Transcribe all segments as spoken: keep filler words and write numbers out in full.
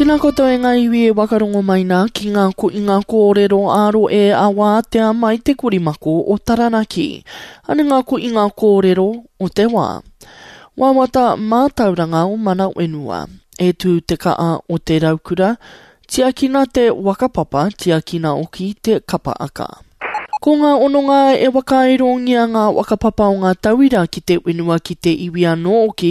Tēnā koutou e ngā iwi e wakarongo mai nā ki ngā ko i ngā kōrero āro e a wātea mai te korimako o Taranaki. Ane ngā ko i ngā kōrero o te wā. Wawata mātauranga o mana whenua. E tū te kaa o te raukura, tiakina te wakapapa, tiakina oki te kapa aka. Ko ngā ononga e wakairongia ngā wakapapa o ngā tauira ki te whenua ki te iwi anō oki,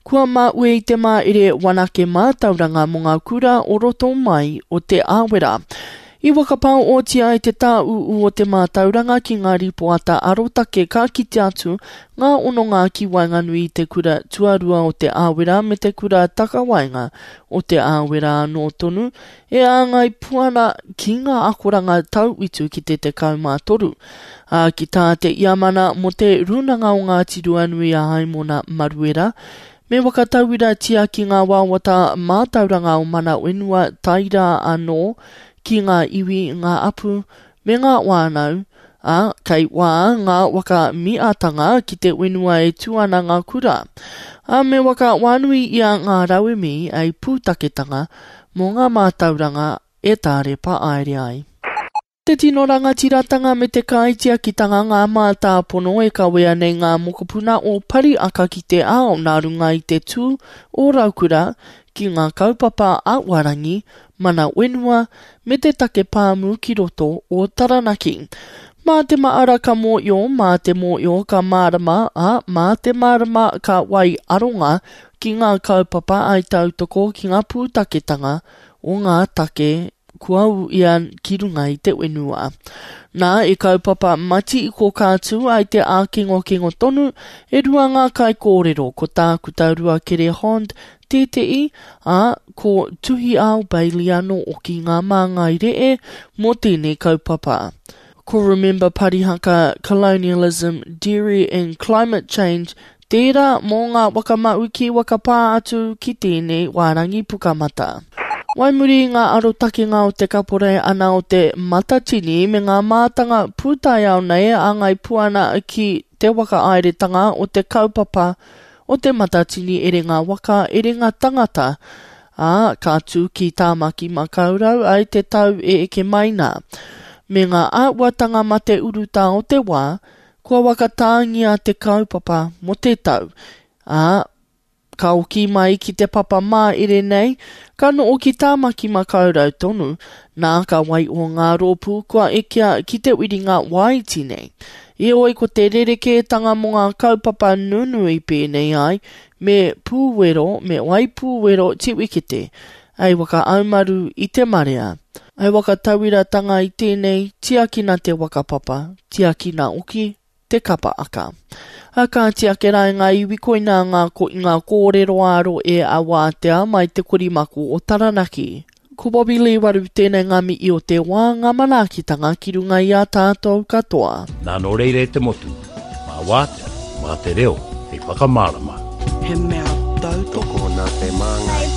kua māue i te māere wanake mātauranga mō ngā kura o roto mai o te āwera. I wakapao otia i te tāūū o te mātauranga ki ngā ripoata arotake ka kite atu ngā ononga ki waenganui i te kura tuarua o te āwera me te kura takawaenga o te āwera anō tonu e āngai puana ki ngā akoranga tauitu ki te tekau mā toru. Ā, ki tā te iamana mō te Rūnanga o Ngāti Ruanui a Haimona Maruera, me wakatauiratia ki ngā wawata mātauranga o mana whenua tairā anō ki ngā iwi, ngā apu, me ngā wānau, ā, kei wā ngā waka miatanga ki te whenua e tū ana ngā kura. Ā, me waka wānui ia ngā rauemi ei pūtaketanga mō ngā mātauranga e tārepa aere ai. Te tino rangatiratanga me te kaitiakitanga ngā mātāpono e kawea nei ngā mokopuna o Pariaka ki te ao nā runga i te tū o Raukura ki ngā kaupapa a Warangi, mana whenua, me te take pāmu ki roto o Taranaki. Mā te maara ka mōio, mā te mōio ka mārama, ā, mā te mārama ka wai aronga ki ngā kaupapa ai tautoko ki ngā pūtaketanga o ngā take kua ia ki runga i te whenua. Nā, e kaupapa mati i ko kātū ai te ākengokengo tonu, e rua ngā kai kōrero, ko tākuta rua kere Hond tēte'i, ā, ko Tuhi Ao Bailey anō oki ngā māngai ree mō tēnei kaupapa. Ko Remember Parihaka, Colonialism, Dairy and Climate Change tērā mō ngā wakamauki wakapā atu ki tēnei wārangi pukamata. Waimuri i ngā arotakenga o te kapore ana o te matatini me ngā mātanga pūtaiao nei a ngai puana ki te waka aeretanga o te kaupapa o te matatini erenga waka erenga tangata, ā, ka tū ki Tāmaki Makaurau ai te tau e eke mai nā. Me ngā āhuatanga mate urutā o te wā, kua wakatāngia te kaupapa mō te tau, ā, ka oki mai ki te papa māere nei, ka no'o ki Tāmaki Makaurau tonu, nā ka wai o ngā rōpū kua ekea ki te wiringa waiti nei. I oi ko te rerekētanga mō ngā kaupapa nunui pēnei ai, me pūwero, me waipūwero tiwikete, ai waka aumaru i te marea. Ai waka tauiratanga i tēnei, tiakina te wakapapa, tiakina oki te kapa aka. A ka tiake rai ngā iwi koina ngā ko i ngā kōrero aro e a wātea mai te korimako o Taranaki. Ko Bobby Lee waru tēnei ngā mihi o te wā ngā manaakitanga ki runga i a tātou katoa. Nā nō reira e te motu, mā wātea, mā te reo, hei whakamārama. He mea tautoko Tokona te māngai